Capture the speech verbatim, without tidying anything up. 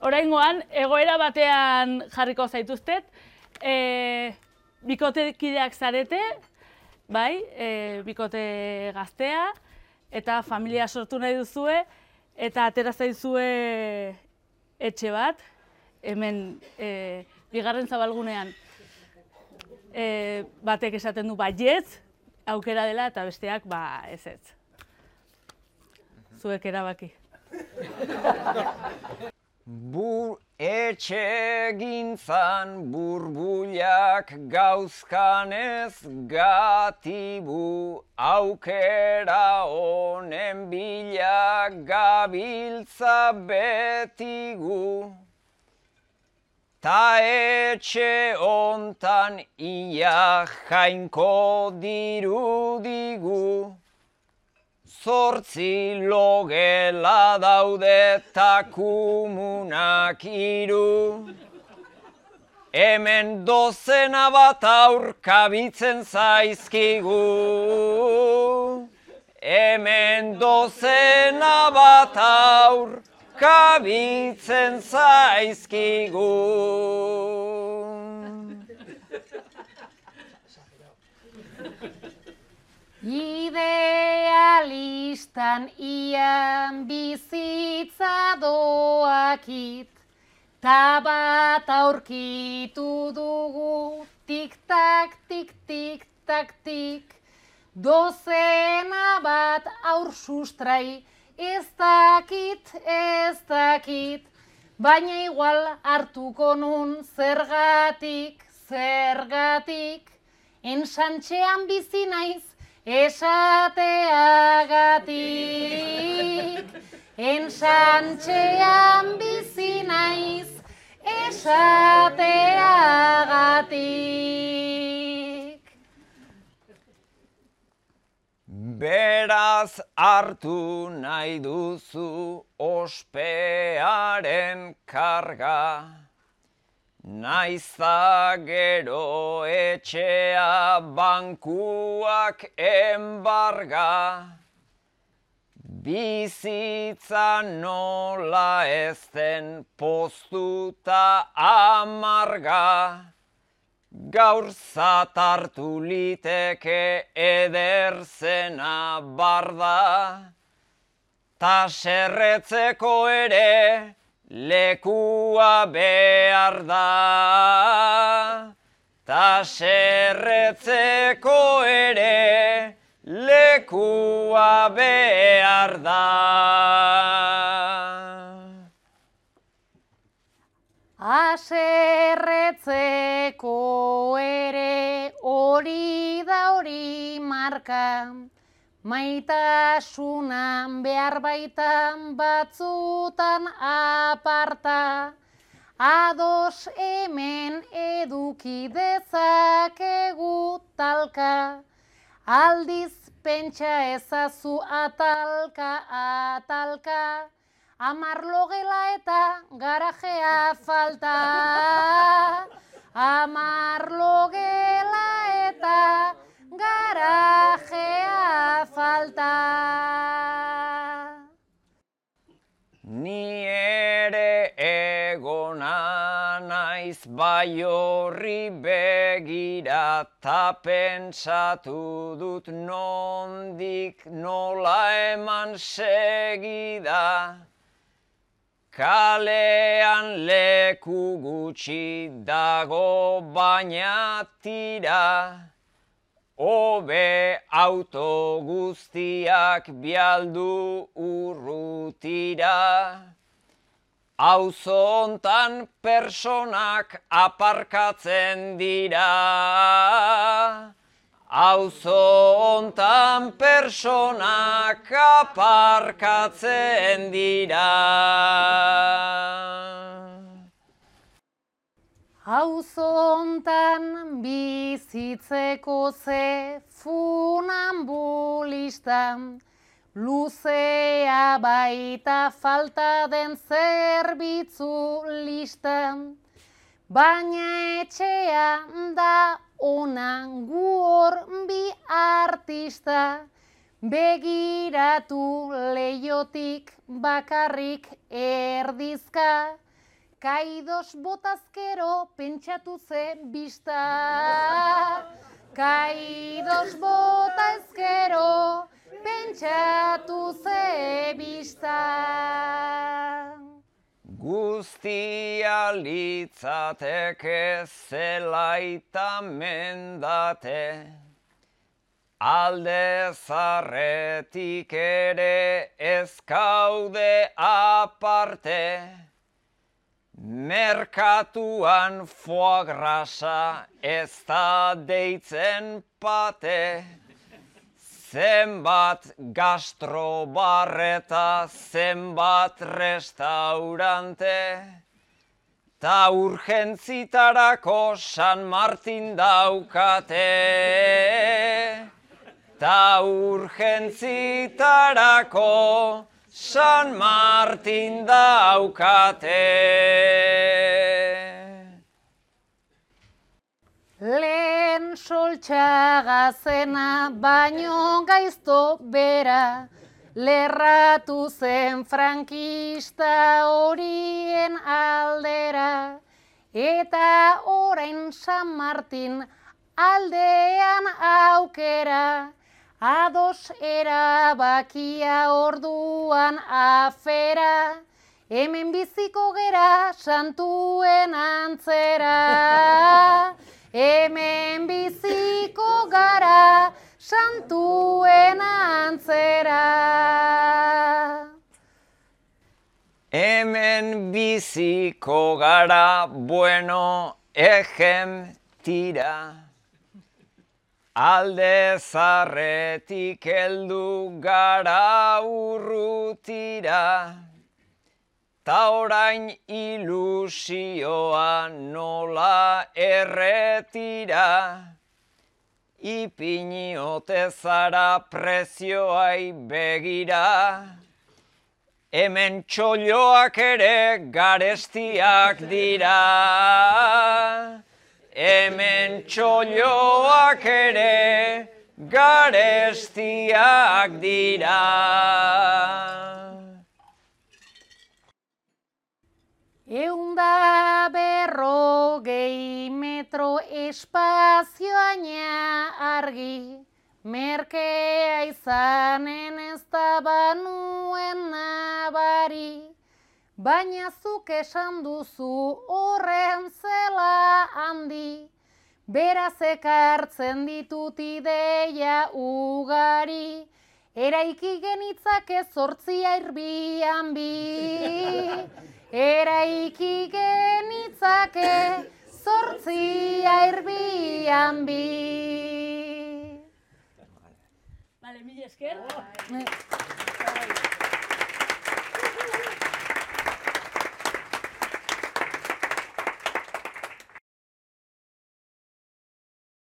Oraingoan, egoera batean jarriko zaituztet, e, bikotekideak zarete, bai, e, bikote gaztea, eta familia sortu nahi duzue, eta atera zaizue etxe bat, hemen e, bigarren zabalgunean e, batek esaten du baietz, aukera dela, eta besteak ba ezetz. Zuek erabaki. Bur etxe gintzan burbulak gauzkanez gatibu aukera honen bila gabiltza betigu. Ta etxe hontan ia jainko dirudigu. Zortzi logela daude ta kumunak hiru. Hemen dozena bat aur kabitzen zaizkigu. Hemen dozena bat aur kabitzen zaizkigu. Idealistan ian bizitza doakit, ta bat aurkitu dugu, tik-tak, tik-tik, tak-tik. Dozena bat aur sustrai, ez dakit, ez dakit, baina igual hartuko nun zergatik, zergatik. Ensantxean bizi naiz, esateagatik. Ensantxean bizi naiz, esateagatik. Beraz hartu nahi duzu ospearen karga, naizta gero etxea bankuak enbarga. Bizitza nola ezten poztuta amarga, gaur zatartu liteke eder zena barda, ta serretzeko ere lekua behar da, ta serretzeko ere lekua behar da. Aserretzeko ere hori da hori marka, maitasunan behar baitan batzutan aparta, ados hemen eduki dezakegu talka, aldiz pentsa ezazu atalka, atalka, amar logela eta garajea falta, amar logela eta garajea falta. Ni ere egona naiz bai horri begira, ta pentsatu dut nondik nola eman segida. Kalean leku gutxi dago baina tira, hobe auto guztiak bialdu urrutira. Auzo hontan personak aparkatzen dira. Auzo hontan personak aparkatzen dira. Auzo hontan bizitzeko ze funambulista, luzea baita falta den zerbitzu lista, baina etxea da ona gu hor bi artista, begiratu leiotik bakarrik erdizka, kaidos botazkero pentsatu ze bista. Kaidos botazkero pentsatu ze bista. Guztia litzateke zelaita mendate, alde zarretik ere ez kaude aparte, merkatuan foie grasa ez da deitzen pate, zenbat gastrobarreta, zenbat restaurante, ta urgentzitarako San Martin daukate. Ta urgentzitarako San Martin daukate. Lehen soltxagazena baino gaizto bera, lerratu zen frankista horien aldera, eta orain San Martin aldean aukera, ados erabakia orduan afera, hemen biziko gera santuen antzera. Hemen biziko gara santuen antzera. Hemen biziko gara bueno ejem tira. Alde zarretik heldu gara urrutira. Ta orain ilusioa nola erretira, ipini ote zara prezioai begira, hemen txolloak ere garestiak dira, hemen txolloak ere garestiak dira. Eunda berrogei metro espazioaina argi, merkea izanen ez da banuen nabari, baina zuk esan duzu horren zela handi, beraz ekartzen ditut ideia ugari, eraiki genitzake zortzia irbian bi. Eraiki genitzake zortzia irbian bi. Vale, mila esker.